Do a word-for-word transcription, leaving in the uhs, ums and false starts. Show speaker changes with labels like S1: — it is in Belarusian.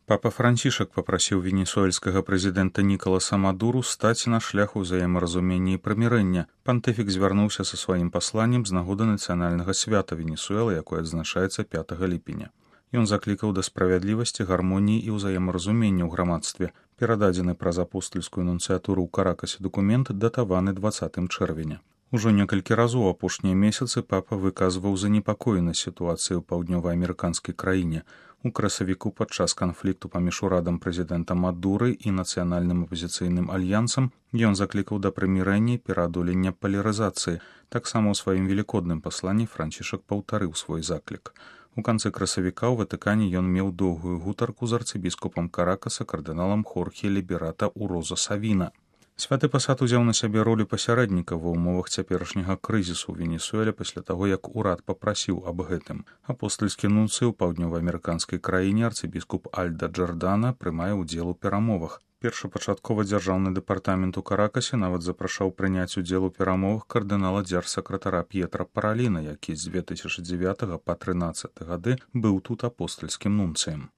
S1: Папа Францішак папрасіў венесуэльскага прэзідэнта Нікаласа Мадуру стаць на шлях узаемаразумення і прымірэння. Пантыфік звярнуўся са сваім пасланнем з нагоды нацыянальнага свята Венесуэлы, якое адзначаецца пятага ліпеня. Ён заклікаў да справядлівасці, гармоніі і ўзаемаразумення ў грамадстве. Перададзены праз апостальскую нунцыятуру ў Каракасе дакумент датаваны дваццатым чэрвеня. Ужо некалькі разоў апошнія месяцы папа выказваў занепакоенасць сітуацыі ў паўднёваамерыканскай краіне. У красавіку падчас канфлікту паміж урадам прэзідэнта Мадуры і нацыянальным апазіцыйным альянсам ён заклікаў да прымірэння і пераадолення палярызацыі. Таксама ў сваім велікодным пасланні Францішак паўтарыў свой заклік. У канцы красавіка ў Ватыкане ён меў доўгую гутарку з арцыбіскупам Каракаса кардыналам Хорхе Ліберата Уроза Савіна. Святы пасад узяў на сябе ролю пасярэдніка ва ўмовах цяперашняга крызісу ў Венесуэле пасля таго, як урад папрасіў аб гэтым. Апостальскі нунцый у паўднёваамерыканскай краіне арцыбіскуп Альда Джордана прымае ўдзел у перамовах. Першапачаткова дзяржаўны дэпартамент у Каракасе нават запрашаў прыняць удзел у перамовах кардынала дзяржсакратара П'етра Параліна, які з две тысячы дзевятага па трынаццаты гады быў тут апостальскім нунцыем.